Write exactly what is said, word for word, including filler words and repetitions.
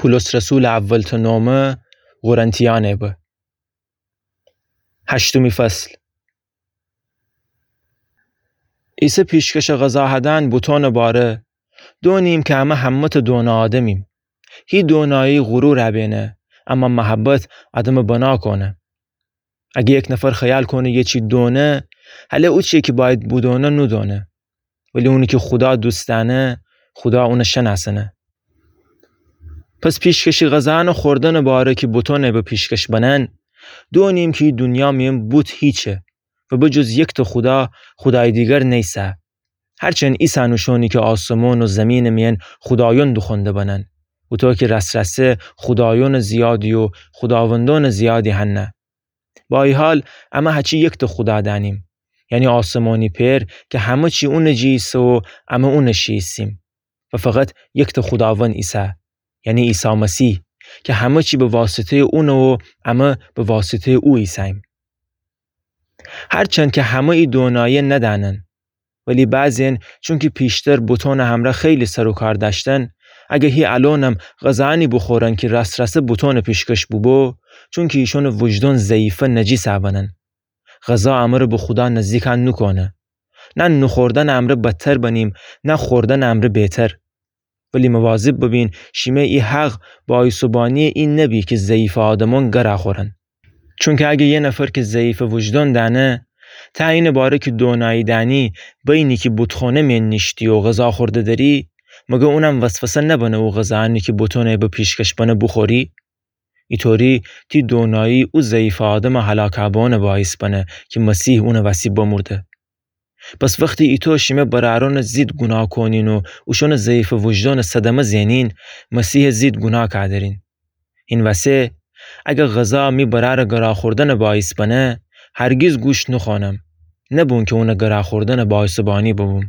بولس رسولٚ اول‌تأ نومه قرنتیأنه به. هشتمی فصل. عیسی پیشکشٚ غذا هدأن بوتونٚ باره، دونیم کی امه همه‌تأ دونٚ آدمیم. هی دونایی غرور ابینه، اما محبت آدمٚ بنا کونه. اگه یک نفر خیال کونه یه چی دونه، هله اوچی‌یه کی بأید بودونه نودونه. ولی اونی کی خودا دوست دأنه، خودا اونَ شنأسأنه. پس پیشکشی غذاأنٚ خوردنٚ باره کی بوتونَ به پیشکش بنن، دونیم کی دونیا میأن بوت هیچه و به جز یکتأ خودا، خودایٚ دیگر نیسه. هرچند ایسن اوشونی کی آسمون و زیمینٚ میأن خودایأن دوخوأنده بنن، اوطو کی رأس‌رأسه خودایأنٚ زیادی و خوداوندأنٚ زیادی هنه. با ای حال، امه هچی یکتأ خودا دأنیم، یعنی آسمانی پئر کی همه چی اونٚ جی ایسه و امه اونٚ شی ایسیم و فقط یکتأ خوداوند ایسه، یعنی عیسی مسیح، کی همه چی به واسطه‌یٚ اونه و امه به واسطه‌یٚ او ایسه‌ییم. هرچند کی همه ای دونایی ندأنن، ولی بعضی‌یأن چونکی پیشتر بوتونٚ همرأ خیلی سر و کار دأشتن، اگه هی الأنم غذاأنی بوخورن کی رأس‌رأسه بوتونٚ پیشکش بوبو، چونکی ایشونٚ وجدان ضعیفه نجیس ابنن. غذا امره به خودا نزدیک نوکونه. نه نوخوردنٚ امرأ بدتر بنیم، نه خوردنٚ امرأ بهتر. ولی مواظب ببین شیمه ای حق بایسٚ بانی ای نبی کی ضعیفٚ آدمأن گرا خورن. چونکی اگه یه نفر کی ضعیفٚ وجدان دأنه، تا اینٚ باره کی دونایی دأنی، بینی کی بوتخوانه میأن نیشتی و غذا خورده دری، مگر اونم وسوسه نبنه او غذاأنی کی بوتونٚ به پیشکش بنه بوخوری؟ ایطوری تی دونایی او ضعیفٚ آدمٚ هلاک بوأنٚ باعث بنه کی مسیح اونٚ وسی بمرده. پس وختی ایتو شیمه برأرأنٚ ضد گوناه کونین و اوشونٚ ضعیفٚ وجدانٚ صدمه زئنین، مسیحٚ ضد گوناه کادرین. هین وسه، اگر غذا می برأرٚ گرا خوردنٚ باعث بنه، هرگیز گوش نوخوأنم، نبون کی اونٚ گرا خوردنٚ باعثٚ بانی ببوم.